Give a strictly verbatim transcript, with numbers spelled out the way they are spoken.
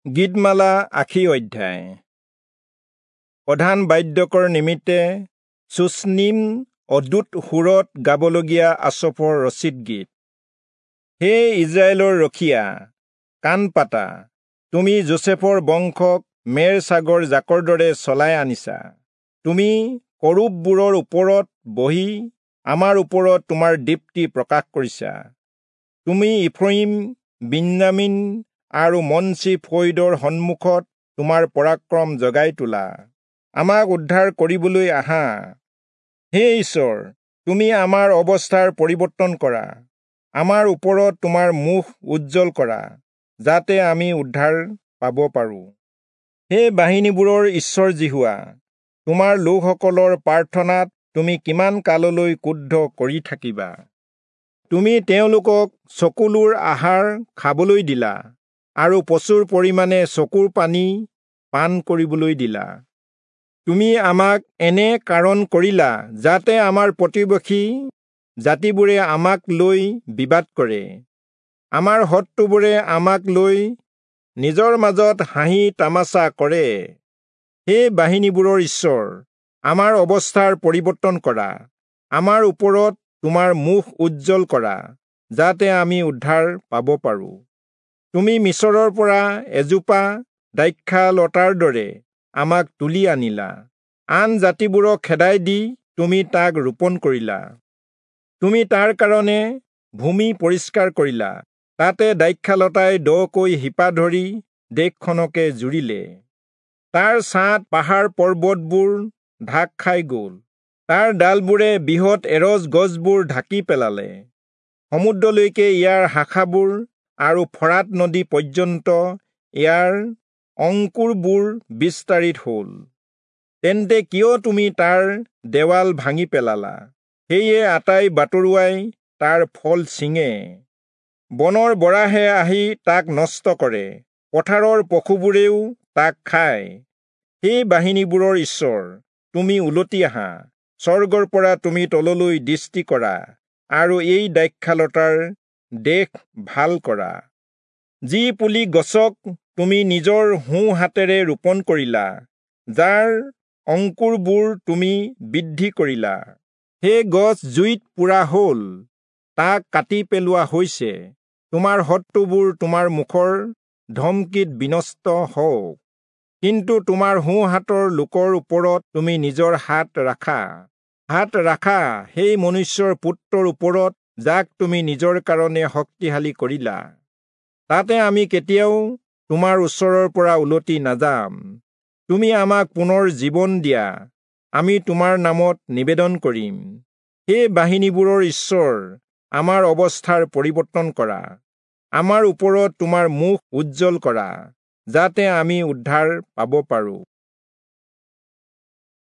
গীতমালা আশী অধ্যায়। প্ৰধান বাদ্যকৰ নিমিত্তে চুচনিম অদ্ভুত সুৰত গাবলগীয়া আচফৰ ৰচিত গীত। হে ইজৰাইলৰ ৰখীয়া, কাণ পাতা, তুমি যোচেফৰ বংশক মেৰ ছাগৰ জাকৰ দৰে চলাই আনিছা। তুমি কৰূববোৰৰ ওপৰত বহি আমাৰ ওপৰত তোমাৰ দীপ্তি প্ৰকাশ কৰিছা। তুমি ইফ্ৰয়িম, বিন্যামীন আৰু মনচি ফৈদৰ সন্মুখত তোমাৰ পৰাক্ৰম জগাই তোলা। আমাক উদ্ধাৰ কৰিবলৈ আহা। হে ঈশ্বৰ, তুমি আমাৰ অৱস্থাৰ পৰিৱৰ্তন কৰা, আমাৰ ওপৰত তোমাৰ মুখ উজ্জ্বল কৰা, যাতে আমি উদ্ধাৰ পাব পাৰোঁ। হে বাহিনীবোৰৰ ঈশ্বৰ যিহোৱা, তোমাৰ লোকসকলৰ প্ৰাৰ্থনাত তুমি কিমান কাললৈ ক্ৰুদ্ধ কৰি থাকিবা? তুমি তেওঁলোকক চকুলোৰ আহাৰ খাবলৈ দিলা আৰু প্ৰচুৰ পৰিমাণে চকুৰ পানী পান কৰিবলৈ দিলা। তুমি আমাক এনে কাৰণ কৰিলা যাতে আমাৰ প্ৰতিবেশী জাতিবোৰে আমাক লৈ বিবাদ কৰে, আমাৰ শত্ৰুবোৰে আমাক লৈ নিজৰ মাজত হাঁহি তামাচা কৰে। হে বাহিনীবোৰৰ ঈশ্বৰ, আমাৰ অৱস্থাৰ পৰিৱৰ্তন কৰা, আমাৰ ওপৰত তোমাৰ মুখ উজ্জ্বল কৰা, যাতে আমি উদ্ধাৰ পাব পাৰোঁ। তুমি মিচৰৰ পৰা এজোপা দ্ৰাক্ষালতাৰ দৰে আমাক তুলি আনিলা, আন জাতিবোৰক খেদাই দি তুমি তাক ৰোপণ কৰিলা। তুমি তাৰ কাৰণে ভূমি পৰিষ্কাৰ কৰিলা, তাতে দ্ৰাক্ষালতাই দকৈ শিপা ধৰি দেশখনকে জুৰিলে। তাৰ ছাঁত পাহাৰ পৰ্বতবোৰ ঢাক খাই গ'ল, তাৰ ডালবোৰে বৃহৎ এৰজ গছবোৰ ঢাকি পেলালে। সমুদ্ৰলৈকে ইয়াৰ শাখাবোৰ আৰু ফৰাত নদী পৰ্যন্ত ইয়াৰ অংকুৰবোৰ বিস্তাৰিত হ'ল। তেন্তে কিয় তুমি তাৰ দেৱাল ভাঙি পেলালা? সেয়ে আটাই বাটৰুৱাই তাৰ ফল ছিঙে। বনৰ বৰাহে আহি তাক নষ্ট কৰে, পথাৰৰ পশুবোৰেও তাক খায়। সেই বাহিনীবোৰৰ ঈশ্বৰ, তুমি উলটি আহা, স্বৰ্গৰ পৰা তুমি তললৈ দৃষ্টি কৰা আৰু এই দ্ৰাক্ষালতাৰ দেশ ভাল কৰা। যি পুলি গছক তুমি নিজৰ সোঁ হাতেৰে ৰোপণ কৰিলা, যাৰ অংকুৰবোৰ তুমি বৃদ্ধি কৰিলা, সেই গছ জুইত পোৰা হ'ল, তাক কাটি পেলোৱা হৈছে। তোমাৰ শত্ৰুবোৰ তোমাৰ মুখৰ ধমকিত বিনষ্ট হওক, কিন্তু তোমাৰ সোঁ হাতৰ লোকৰ ওপৰত তুমি নিজৰ হাত ৰাখা। হাত ৰাখা সেই মনুষ্যৰ পুত্ৰৰ ওপৰত, যাক তুমি নিজৰ কাৰণে শক্তিশালী কৰিলা। তাতে আমি কেতিয়াও তোমাৰ ওচৰৰ পৰা উলটি নাযাম। তুমি আমাক পুনৰ জীৱন দিয়া, আমি তোমাৰ নামত নিবেদন কৰিম। হে বাহিনীবোৰৰ ঈশ্বৰ, আমাৰ অৱস্থাৰ পৰিৱৰ্তন কৰা, আমাৰ ওপৰত তোমাৰ মুখ উজ্জ্বল কৰা, যাতে আমি উদ্ধাৰ পাব পাৰোঁ।